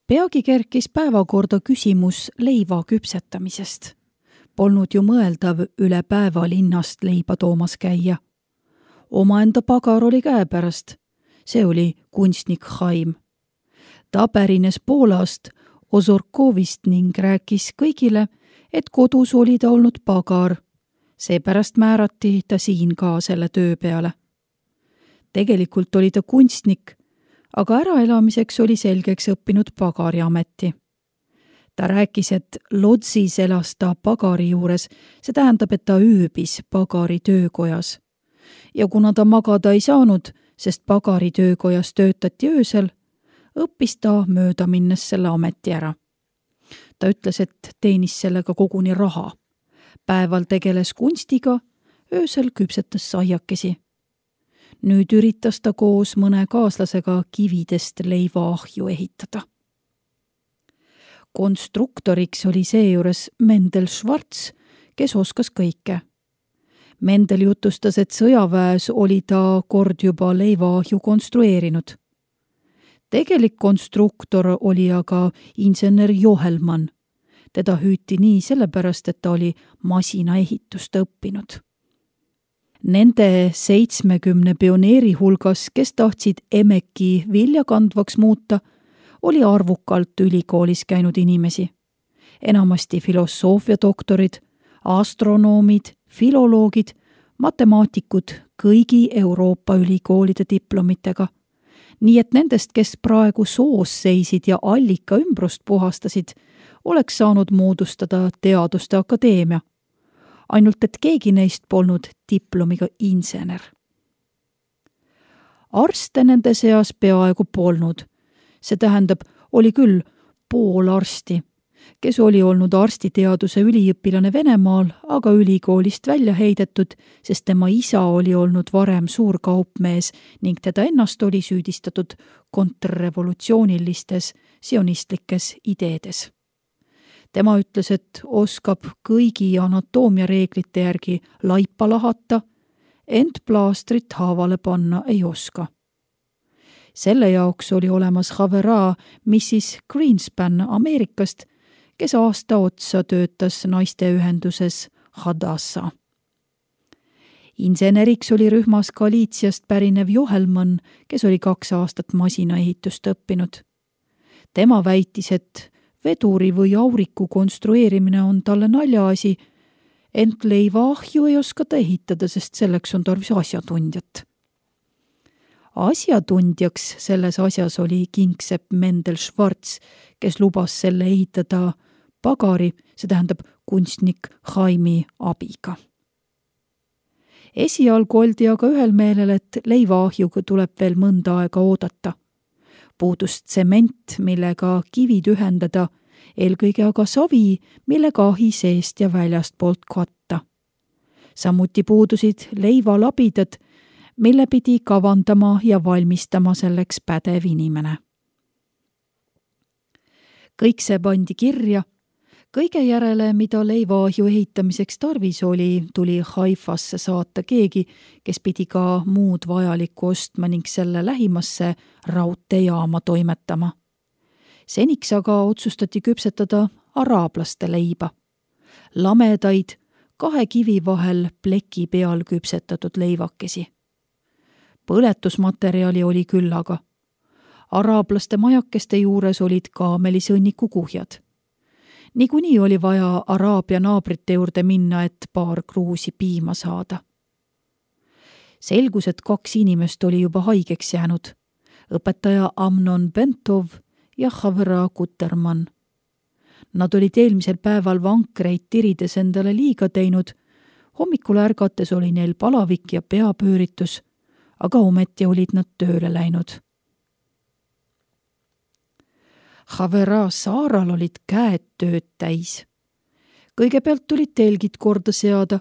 Peagi kerkis päevakorda küsimus leiva küpsetamisest. Polnud ju mõeldav üle päeva linnast leiba toomas käia. Omaenda pagar oli käepärast. See oli kunstnik Chaim. Ta pärines Poolast, Ozorkovist ning rääkis kõigile, et kodus oli ta olnud pagar. Seepärast määrati ta siin ka selle töö peale. Tegelikult oli ta kunstnik, aga äraelamiseks oli selgeks õppinud pagariameti. Ta rääkis, et Lodzis elas ta pagari juures, see tähendab, et ta ööbis pagari töökojas. Ja kuna ta magada ei saanud, sest pagari töökojas töötati öösel, õppis ta mööda minnes selle ameti ära. Ta ütles, et teenis sellega koguni raha. Päeval tegeles kunstiga, öösel küpsetas saiakesi. Nüüd üritas ta koos mõne kaaslasega kividest leivaahju ehitada. Konstruktoriks oli seejuures Mendel Schwarz, kes oskas kõike. Mendel jutustas, et sõjaväes oli ta kord juba leivaahju konstrueerinud. Tegelik konstruktor oli aga insener Johelmann. Teda hüüti nii sellepärast, et ta oli masinaehitust õppinud. Nende 70 pioneeri hulgas, kes tahtsid Emeki viljakandvaks muuta, oli arvukalt ülikoolis käinud inimesi. Enamasti filosoofiadoktorid, astronoomid, filoloogid, matemaatikud kõigi Euroopa ülikoolide diplomitega. Nii et nendest, kes praegu soos seisid ja allika ümbrust puhastasid, oleks saanud moodustada teaduste akadeemia. Ainult et keegi neist polnud diplomiga insener. Arste nende seas peaaegu polnud. See tähendab, oli küll pool arsti, kes oli olnud arstiteaduse üliõpilane Venemaal, aga ülikoolist välja heidetud, sest tema isa oli olnud varem suur kaupmees ning teda ennast oli süüdistatud kontrrevolutsioonilistes sionistlikes ideedes. Tema ütles, et oskab kõigi anatoomiareeglite järgi laipa lahata, ent plaastrit haavale panna ei oska. Selle jaoks oli olemas Havera Mrs. Greenspan Ameerikast, kes aasta otsa töötas naisteühenduses Hadassah. Inseneriks oli rühmas Galiitsiast pärinev Johelmann, kes oli 2 aastat masinaehitust õppinud. Tema väitis, et veduri või auriku konstrueerimine on talle naljaasi, ent leivaahju ei oska ta ehitada, sest selleks on tarvis asjatundjat. Asjatundjaks selles asjas oli kingsepp Mendel Schwarz, kes lubas selle ehitada pagari, see tähendab kunstnik Chaimi abiga. Esialgu oldi aga ühel meelel, et leivaahjuga tuleb veel mõnda aega oodata. Puudus tsement, millega kivid ühendada, eelkõige aga savi, millega ahi seest ja väljast poolt katta. Samuti puudusid leivalabidad, mille pidi kavandama ja valmistama selleks pädev inimene. Kõik see pandi kirja. Kõige järele, mida leivaahju ehitamiseks tarvis oli, tuli Haifasse saata keegi, kes pidi ka muud vajalikku ostma ning selle lähimasse raudteejaama toimetama. Seniks aga otsustati küpsetada araablaste leiba. Lamedaid, 2 kivi vahel pleki peal küpsetatud leivakesi. Põletusmaterjali oli küllaga. Araablaste majakeste juures olid kaamelisõnniku kuhjad. Niikuinii oli vaja Araabia naabrite juurde minna, et paar kruusi piima saada. Selgus, et 2 inimest oli juba haigeks jäänud. Õpetaja Amnon Bentov ja Havera Kutermann. Nad olid eelmisel päeval vankreid tirides endale liiga teinud. Hommikul ärgates oli neil palavik ja peapööritus, aga ometi olid nad tööle läinud. Havera Saaral olid käed tööd täis. Kõigepealt tulid telgid korda seada,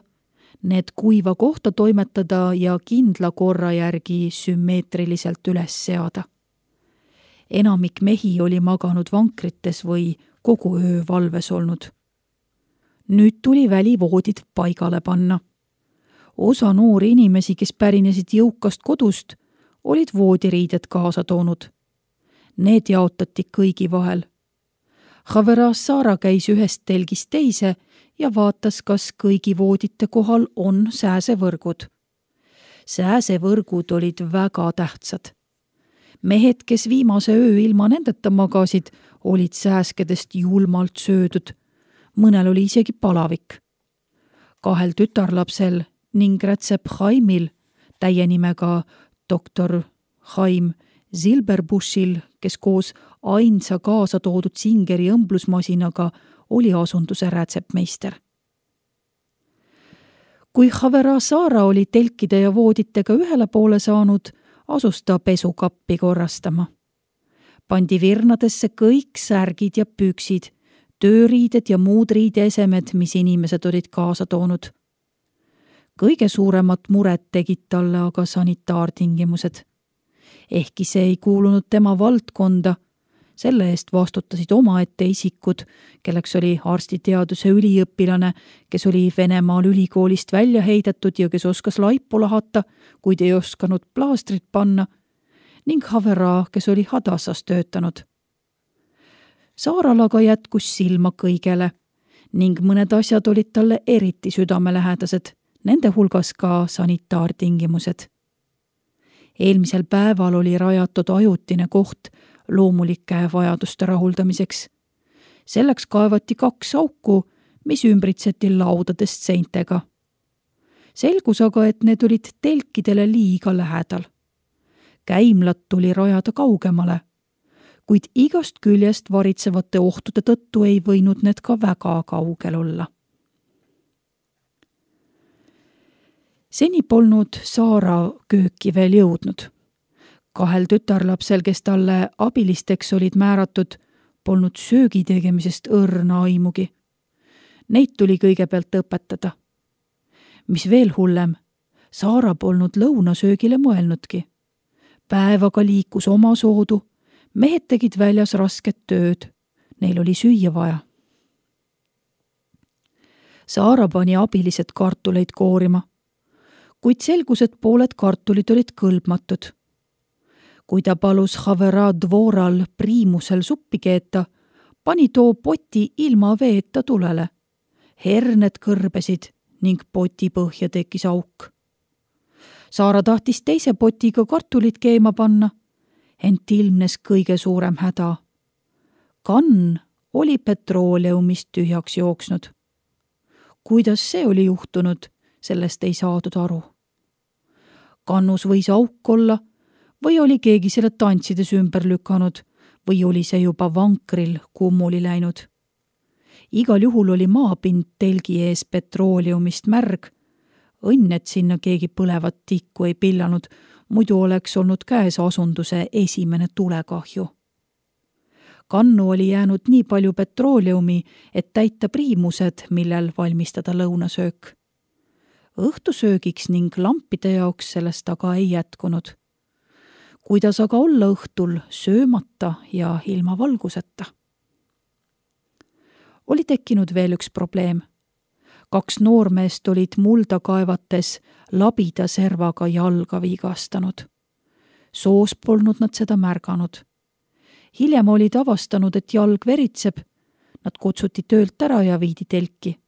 need kuiva kohta toimetada ja kindla korra järgi sümmeetriliselt üles seada. Enamik mehi oli maganud vankrites või kogu öö valves olnud. Nüüd tuli välivoodid paigale panna. Osa noori inimesi, kes pärinesid jõukast kodust, olid voodiriided kaasa toonud. Need jaotati kõigi vahel. Khaverasara käis ühest telgist teise ja vaatas, kas kõigi voodite kohal on sääsevõrgud. Sääsevõrgud olid väga tähtsad. Mehed, kes viimase öö ilma nendeta magasid, olid sääskedest julmalt söödud. Mõnel oli isegi palavik. 2 tütarlapsel ning rätsep Chaimil, täie nimega doktor Chaim Silberbushil, kes koos ainsa kaasa toodud Singeri õmblusmasinaga oli asunduse rätsepmeister. Kui Khaverasara oli telkide ja vooditega ühele poole saanud, asus ta pesukappi korrastama. Pandi virnadesse kõik särgid ja püksid, tööriided ja muud riideesemed, mis inimesed olid kaasa toonud. Kõige suuremat muret tegid talle aga sanitaartingimused. Ehkki see ei kuulunud tema valdkonda, selle eest vastutasid omaette isikud, kelleks oli arstiteaduse üliõpilane, kes oli Venemaal ülikoolist välja heidetud ja kes oskas laipu lahata, kuid ei osanud plaastrit panna, ning Havera, kes oli Hadassas töötanud. Saaral aga jätkus silma kõigele ning mõned asjad olid talle eriti südamelähedased, nende hulgas ka sanitaartingimused. Eelmisel päeval oli rajatud ajutine koht loomulike vajaduste rahuldamiseks. Selleks kaevati 2 auku, mis ümbritseti laudadest seintega. Selgus aga, et need olid telkidele liiga lähedal. Käimlad tuli rajada kaugemale, kuid igast küljest varitsevate ohtude tõttu ei võinud need ka väga kaugel olla. Seni polnud Saara kööki veel jõudnud. 2 tütarlapsel, kes talle abilisteks olid määratud, polnud söögi tegemisest õrna aimugi. Neid tuli kõigepealt õpetada. Mis veel hullem, Saara polnud lõunasöögile mõelnudki. Päev aga liikus omasoodu, mehed tegid väljas rasket tööd, neil oli süüa vaja. Saara pani abilised kartuleid koorima, kuid selgus, et pooled kartulid olid kõlbmatud. Kui ta palus Havera dvoral priimusel suppi keeta, pani too poti ilma veeta tulele. Herned kõrbesid ning poti põhja tekkis auk. Saara tahtis teise potiga kartulit keema panna, ent ilmnes kõige suurem häda. Kann oli petrooleumist tühjaks jooksnud. Kuidas see oli juhtunud, sellest ei saadud aru. Kannus võis auk olla või oli keegi selle tantsides ümber lükanud või oli see juba vankril kummuli läinud. Igal juhul oli maapind telgi ees petrooleumist märg. Õnn, et sinna keegi põlevat tikku ei pillanud, muidu oleks olnud käes asunduse esimene tulekahju. Kannu oli jäänud nii palju petrooleumi, et täita priimused, millel valmistada lõunasöök. Õhtusöögiks ning lampide jaoks sellest aga ei jätkunud. Kuidas aga olla õhtul söömata ja ilma valguseta? Oli tekkinud veel üks probleem. 2 noormeest olid mulda kaevates labida servaga jalga vigastanud. Soos polnud nad seda märganud. Hiljem olid avastanud, et jalg veritseb. Nad kutsuti töölt ära ja viidi telki.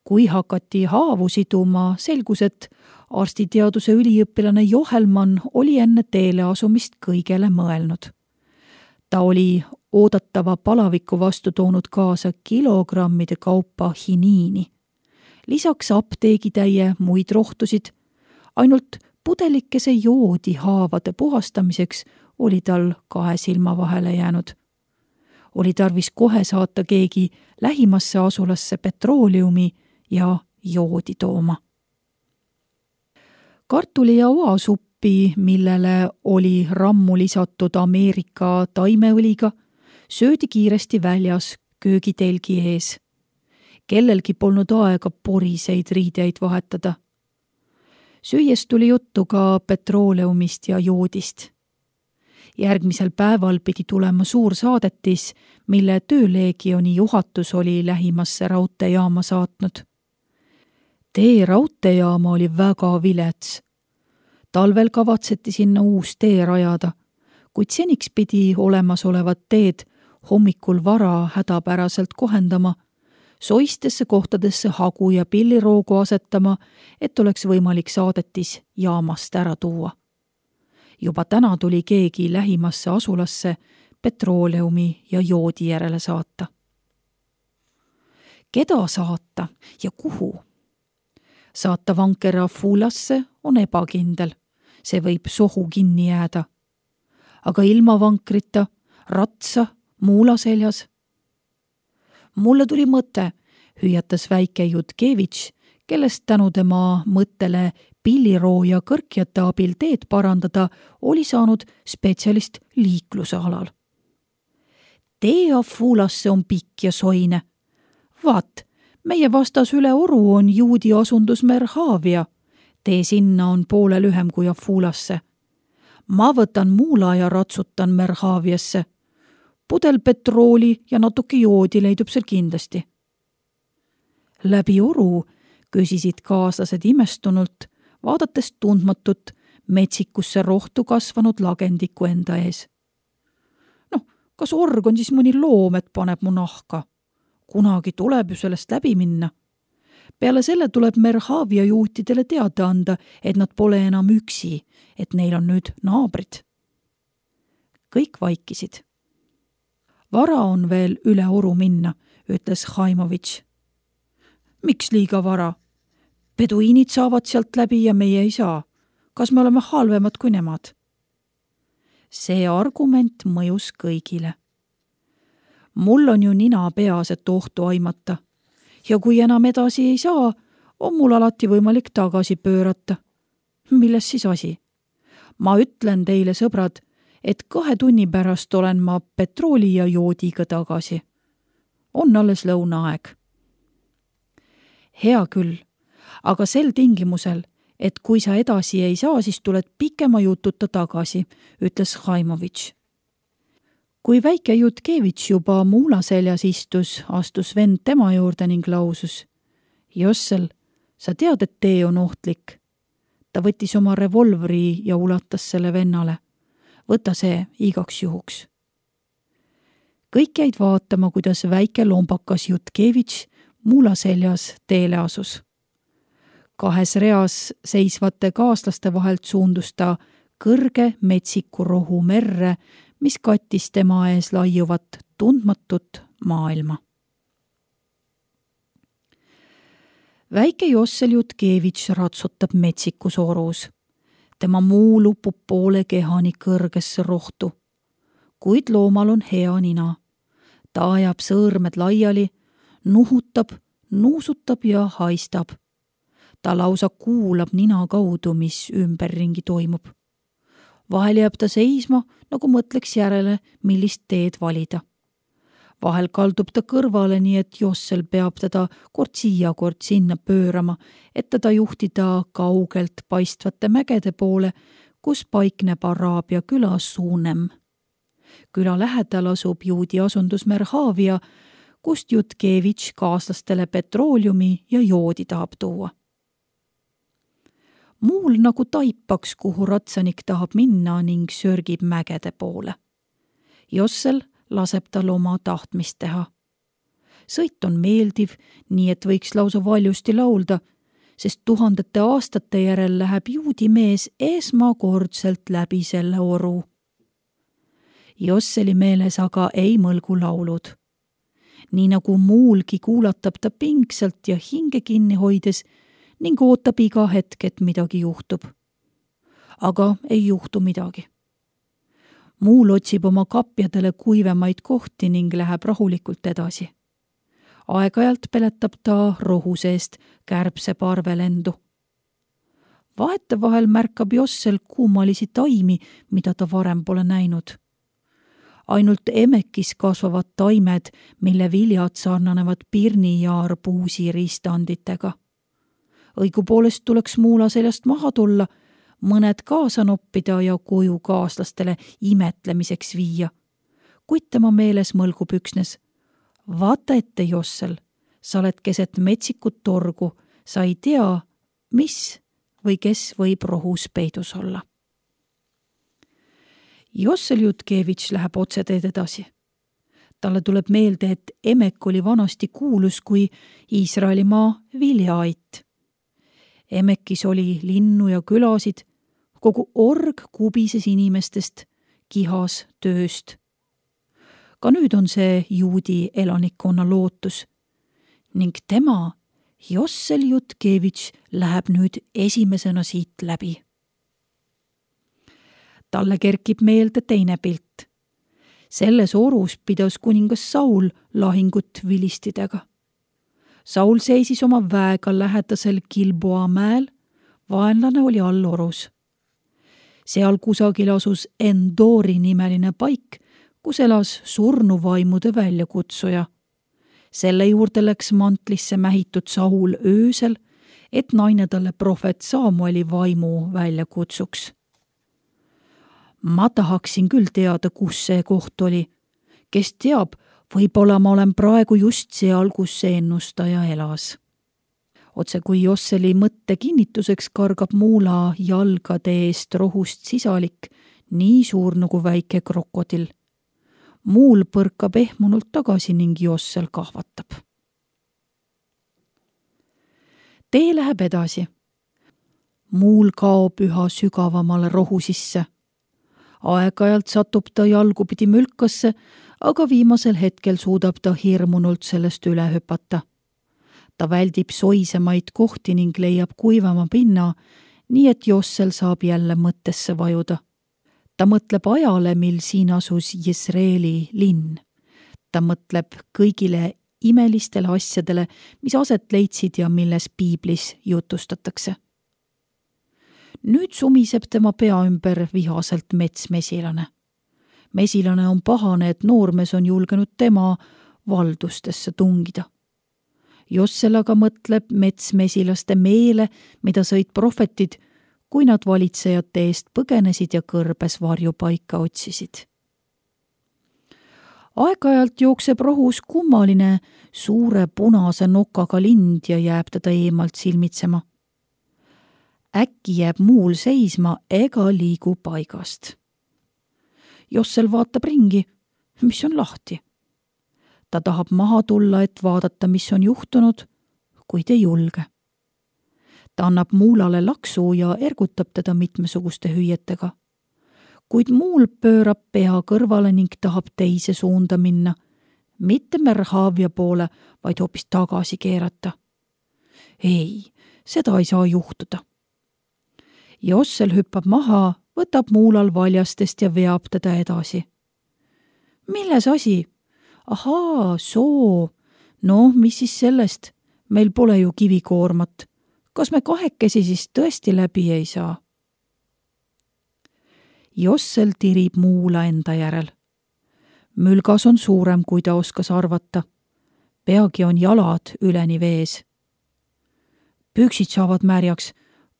Kui hakati haavu siduma, selgus, et arstiteaduse üliõpilane Johelmann oli enne teele asumist kõigele mõelnud. Ta oli oodatava palaviku vastu toonud kaasa kilogrammide kaupa hiniini. Lisaks apteegitäie muid rohtusid, ainult pudelikese joodi haavade puhastamiseks oli tal 2 silma vahele jäänud. Oli tarvis kohe saata keegi lähimasse asulasse petrooleumi ja joodi tooma. Kartuli ja oasuppi, millele oli rammu lisatud Ameerika taimeõliga, söödi kiiresti väljas köögitelgi ees. Kellelgi polnud aega poriseid riideid vahetada. Süües tuli juttu ka petrooleumist ja joodist. Järgmisel päeval pidi tulema suur saadetis, mille tööleegioni juhatus oli lähimasse raudteejaama saatnud. Tee raudteejaama oli väga vilets. Talvel kavatseti sinna uus tee rajada, kuid seniks pidi olemasolevat teed hommikul vara hädapäraselt kohendama, soistesse kohtadesse hagu ja pilliroogu asetama, et oleks võimalik saadetis jaamast ära tuua. Juba täna tuli keegi lähimasse asulasse petrooleumi ja joodi järele saata. Keda saata ja kuhu? Saata vanker Afulasse on ebakindel, see võib sohu kinni jääda. Aga ilma vankrita, ratsa, muula seljas. Mulle tuli mõte, hüüatas väike Jutkevitš, kellest tänu tema mõttele pilliroo ja kõrkjate abil teed parandada oli saanud spetsialist liikluse alal. Tee Afulasse on pikk ja soine. Vaat, meie vastas üle oru on juudi asundus Merhavia. Tee sinna on poole lühem kui Afulasse. Ma võtan muula ja ratsutan Merhaviasse. Pudel petrooli ja natuke joodi leidub seal kindlasti. Läbi oru küsisid kaaslased imestunult, vaadates tundmatut metsikusse rohtu kasvanud lagendikku enda ees. Kas org on siis mõni loom, et paneb mu nahka? Kunagi tuleb ju sellest läbi minna. Peale selle tuleb Merhavia juutidele teada anda, et nad pole enam üksi, et neil on nüüd naabrid. Kõik vaikisid. Vara on veel üle oru minna, ütles Haimovitš. Miks liiga vara? Peduiinid saavad sealt läbi ja meie ei saa. Kas me oleme halvemad kui nemad? See argument mõjus kõigile. Mul on ju nina peas, et ohtu aimata. Ja kui enam edasi ei saa, on mul alati võimalik tagasi pöörata. Milles siis asi? Ma ütlen teile, sõbrad, et 2 tunni pärast olen ma petrooli ja joodiga tagasi. On alles lõunaaeg. Hea küll, aga sel tingimusel, et kui sa edasi ei saa, siis tuled pikema jututa tagasi, ütles Haimovitš. Kui väike Jutkevitš juba muula seljas istus, astus vend tema juurde ning lausus. Jossel, sa tead, et tee on ohtlik. Ta võttis oma revolvri ja ulatas selle vennale. Võta see igaks juhuks. Kõik jäid vaatama, kuidas väike lombakas Jutkevitš muula seljas teele asus. 2 reas seisvate kaaslaste vahelt suundus ta kõrge metsiku rohu merre, mis kattis tema ees laiuvat tundmatut maailma. Väike Jossel Jutkevitš ratsutab metsikus orus. Tema muu lupub poole kehani kõrgesse rohtu. Kuid loomal on hea nina. Ta ajab sõõrmed laiali, nuhutab, nuusutab ja haistab. Ta lausa kuulab nina kaudu, mis ümberringi toimub. Vahel jääb ta seisma, nagu mõtleks järele, millist teed valida. Vahel kaldub ta kõrvale, nii et Jossel peab teda kord siia, kord sinna pöörama, et teda juhtida kaugelt paistvate mägede poole, kus paikneb Araabia küla Suunem. Küla lähedal asub juudi asundus Merhavia, kust Jutkevitš kaaslastele petrooliumi ja joodi tahab tuua. Muul nagu taipaks, kuhu ratsanik tahab minna ning sörgib mägede poole. Jossel laseb tal oma tahtmist teha. Sõit on meeldiv, nii et võiks lausa valjusti laulda, sest 1000 aastate järel läheb juudi mees esmakordselt läbi selle oru. Josseli meeles aga ei mõlgu laulud. Nii nagu muulgi kuulatab ta pingsalt ja hinge kinni hoides ning ootab iga hetk, et midagi juhtub. Aga ei juhtu midagi. Muul otsib oma kapjadele kuivemaid kohti ning läheb rahulikult edasi. Aeg-ajalt peletab ta rohu seest kärbse parvelendu. Vahetevahel märkab Jossel kummalisi taimi, mida ta varem pole näinud. Ainult emekis kasvavad taimed, mille viljad sarnanevad pirni ja arbuusi riistanditega. Õigupoolest tuleks muula seljast maha tulla, mõned kaasa noppida ja koju kaaslastele imetlemiseks viia. Kuid tema meeles mõlgub üksnes. Vaata ette, Jossel, sa oled keset metsikut torgu, sa ei tea, mis või kes võib rohus peidus olla. Jossel Jutkevitš läheb otseteed edasi. Talle tuleb meelde, et Emek oli vanasti kuulus kui Iisraelimaa viljaait. Emekis oli linnu ja külasid, kogu org kubises inimestest, kihas tööst. Ka nüüd on see juudi elanikkonna lootus ning tema, Jossel Jutkevitš, läheb nüüd esimesena siit läbi. Talle kerkib meelde teine pilt. Selles orus pidas kuningas Saul lahingut vilistidega. Saul seisis oma väega lähedasel Gilboa mäel, vaenlane oli all orus. Seal kusagil asus Endori nimeline paik, kus elas surnuvaimude väljakutsuja. Selle juurde läks mantlisse mähitud Saul öösel, et naine talle prohvet Samueli vaimu välja kutsuks. Ma tahaksin küll teada, kus see koht oli. Kes teab, võib-olla ma olen praegu just seal, kus see ennustaja elas. Otse kui Josseli mõtte kinnituseks kargab muula jalgade eest rohust sisalik, nii suur nagu väike krokodill. Muul põrkab ehmunult tagasi ning Jossel kahvatab. Tee läheb edasi. Muul kaob üha sügavamale rohu sisse. Aeg-ajalt satub ta jalgupidi mülkasse, aga viimasel hetkel suudab ta hirmunult sellest üle hüpata. Ta väldib soisemaid kohti ning leiab kuivama pinna, nii et Jossel saab jälle mõttesse vajuda. Ta mõtleb ajale, mil siin asus Jesreeli linn. Ta mõtleb kõigile imelistele asjadele, mis aset leidsid ja milles piiblis jutustatakse. Nüüd sumiseb tema pea ümber vihaselt metsmesilane. Mesilane on pahane, et noormees on julgenud tema valdustesse tungida. Jossel aga mõtleb metsmesilaste meele, mida sõid prohvetid, kui nad valitsejate eest põgenesid ja kõrbes varjupaika otsisid. Aeg-ajalt jookseb rohus kummaline suure punase nokaga lind ja jääb teda eemalt silmitsema. Äkki jääb muul seisma ega liigu paigast. Jossel vaatab ringi, mis on lahti. Ta tahab maha tulla, et vaadata, mis on juhtunud, kuid ei julge. Ta annab muulale laksu ja ergutab teda mitmesuguste hüüetega. Kuid muul pöörab pea kõrvale ning tahab teise suunda minna, mitte Merhavia poole, vaid hoopis tagasi keerata. Ei, seda ei saa juhtuda. Jossel hüppab maha, võtab muulal valjastest ja veab teda edasi. Milles asi? Ahaa, soo. No, mis siis sellest? Meil pole ju kivikoormat. Kas me kahekesi siis tõesti läbi ei saa? Jossel tirib muula enda järel. Mülgas on suurem, kui ta oskas arvata. Peagi on jalad üleni vees. Püksid saavad märjaks.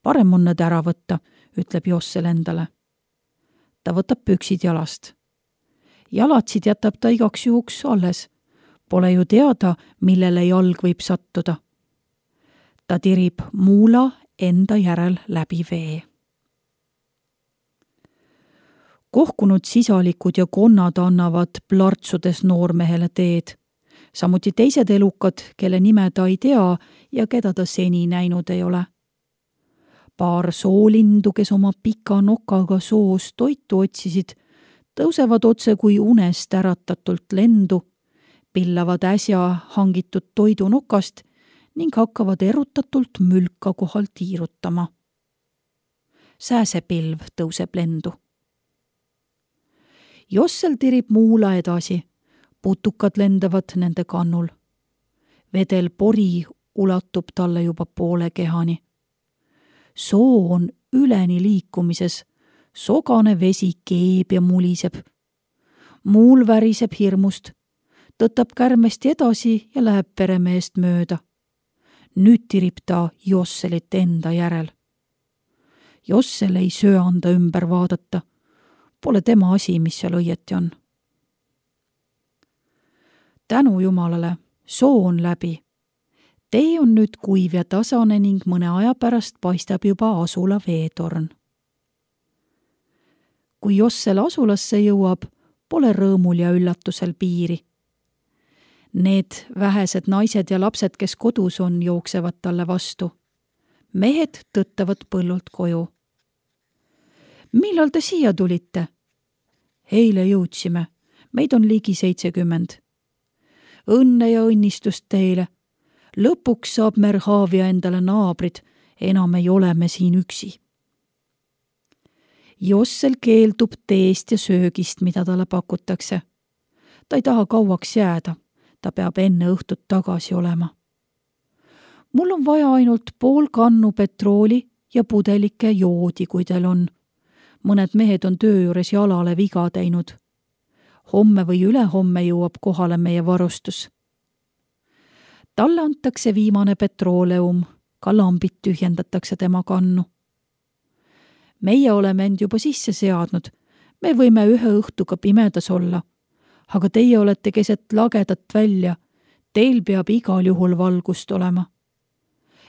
Parem on nad ära võtta, ütleb Jossel endale. Ta võtab püksid jalast. Jalatsid jätab ta igaks juhuks alles. Pole ju teada, millele jalg võib sattuda. Ta tirib muula enda järel läbi vee. Kohkunud sisalikud ja konnad annavad plartsudes noormehele teed. Samuti teised elukad, kelle nime ta ei tea ja keda ta seni näinud ei ole. Paar soolindu, kes oma pika nokaga soos toitu otsisid, tõusevad otse kui unest äratatult lendu, pillavad äsja hangitud toidu nokast ning hakkavad erutatult mülka kohal tiirutama. Sääsepilv tõuseb lendu. Jossel tirib muula edasi, putukad lendavad nende kannul. Vedel pori ulatub talle juba poole kehani. Soo on üleni liikumises, sogane vesi keeb ja muliseb. Muul väriseb hirmust, tõtab kärmesti edasi ja läheb peremeest mööda. Nüüd tirib ta Josselit enda järel. Jossel ei söanda ümber vaadata. Pole tema asi, mis seal õieti on. Tänu Jumalale, soo on läbi. Tee on nüüd kuiv ja tasane ning mõne aja pärast paistab juba asula veetorn. Kui Jossel asulasse jõuab, pole rõõmul ja üllatusel piiri. Need vähesed naised ja lapsed, kes kodus on, jooksevad talle vastu. Mehed tõttavad põllult koju. Millal te siia tulite? Eile jõudsime. Meid on ligi 70. Õnne ja õnnistust teile. Lõpuks saab Merhavia endale naabrid, enam ei ole me siin üksi. Jossel keeldub teest ja söögist, mida talle pakutakse. Ta ei taha kauaks jääda, ta peab enne õhtut tagasi olema. Mul on vaja ainult pool kannu petrooli ja pudelike joodi, kui teil on. Mõned mehed on töö juures jalale viga teinud. Homme või ülehomme jõuab kohale meie varustus. Talle antakse viimane petrooleum, ka lambid tühjendatakse tema kannu. Meie oleme end juba sisse seadnud, me võime ühe õhtuga pimedas olla, aga teie olete keset lagedat välja, teil peab igal juhul valgust olema.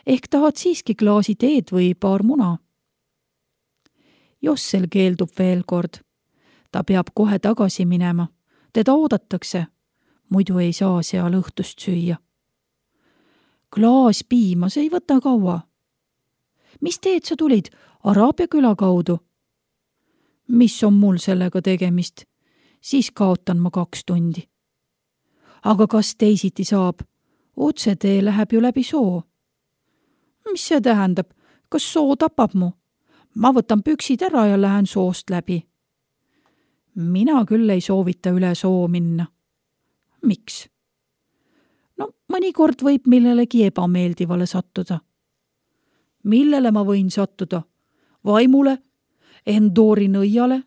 Ehk tahad siiski klaasi teed või paar muna? Jossel keeldub veel kord. Ta peab kohe tagasi minema. Teda oodatakse, muidu ei saa seal õhtust süüa. Klaas piima, see ei võta kaua. Mis teed sa tulid? Araabia küla kaudu? Mis on mul sellega tegemist? Siis kaotan ma 2 tundi. Aga kas teisiti saab? Otsetee läheb ju läbi soo. Mis see tähendab? Kas soo tapab mu? Ma võtan püksid ära ja lähen soost läbi. Mina küll ei soovita üle soo minna. Miks? No mõnikord võib millelegi ebameeldivale sattuda. Millele ma võin sattuda? Vaimule? Endori nõiale?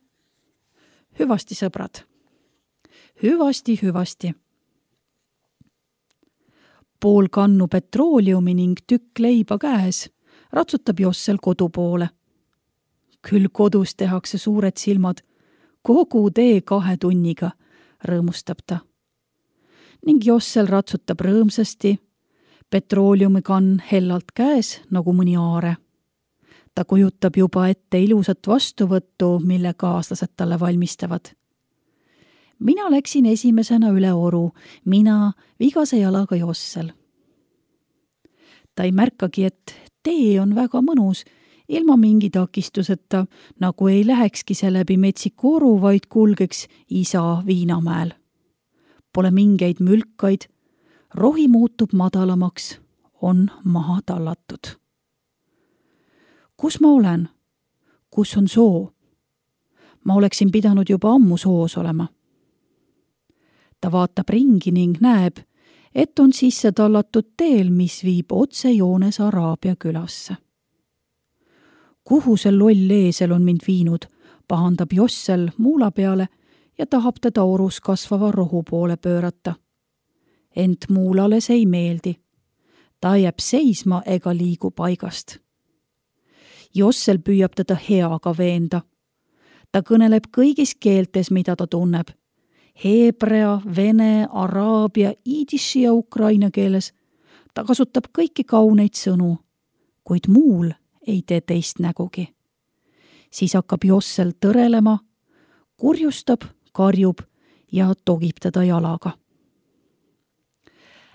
Hüvasti, sõbrad. Hüvasti. Pool kannu petrooliumi ning tükk leiba käes ratsutab Jossel kodu poole. Küll kodus tehakse suured silmad, kogu tee 2 tunniga, rõõmustab ta. Ning Jossel ratsutab rõõmsasti, petrooliumikann hellalt käes nagu mõni aare. Ta kujutab juba ette ilusat vastuvõttu, mille kaaslased talle valmistavad. Mina läksin esimesena üle oru, mina vigase jalaga Jossel. Ta ei märkagi, et tee on väga mõnus, ilma mingi takistuseta, nagu ei lähekski see läbi metsiku oru, vaid kulgeks isa Viinamäel. Pole mingeid mülkaid, rohi muutub madalamaks, on maha tallatud. Kus ma olen? Kus on soo? Ma oleksin pidanud juba ammu soos olema. Ta vaatab ringi ning näeb, et on sisse tallatud teel, mis viib otsejoones Araabia külasse. Kuhu see loll eesel on mind viinud, pahandab Jossel muula peale ja tahab teda orus kasvava rohu poole pöörata. Ent muulale see ei meeldi. Ta jääb seisma ega liigu paigast. Jossel püüab teda heaga veenda. Ta kõneleb kõigis keeltes, mida ta tunneb. Heebrea, vene, araabia, idiši ja ukraina keeles. Ta kasutab kõiki kauneid sõnu, kuid muul ei tee teist nägugi. Siis hakkab Jossel tõrelema, kurjustab, karjub ja togib teda jalaga.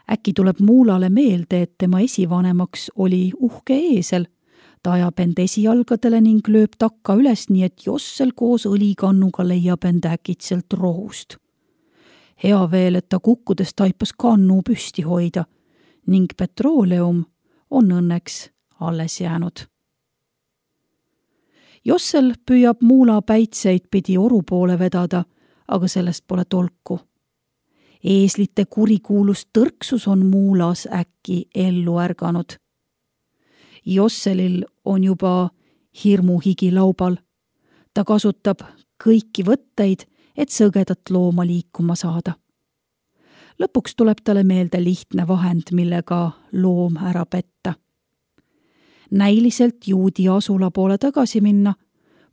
Äkki tuleb muulale meelde, et tema esivanemaks oli uhke eesel. Ta ajab end esijalgadele ning lööb takka üles, nii et Jossel koos õlikannuga leiab end äkitselt rohust. Hea veel, et ta kukkudes taipas kannu püsti hoida ning petrooleum on õnneks alles jäänud. Jossel püüab muula päitseid pidi oru poole vedada, aga sellest pole tolku. Eeslite kurikuulus tõrksus on muulas äkki ellu ärganud. Josselil on juba hirmuhigi laubal. Ta kasutab kõiki võtteid, et sõgedat looma liikuma saada. Lõpuks tuleb talle meelde lihtne vahend, millega loom ära petta. Näiliselt juudi asula poole tagasi minna,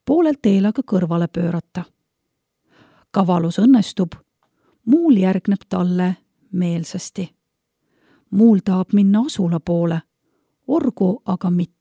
poolelt teelaga kõrvale pöörata. Kavalus õnnestub, muul järgneb talle meelsasti. Muul tahab minna asula poole, orgu aga mitte.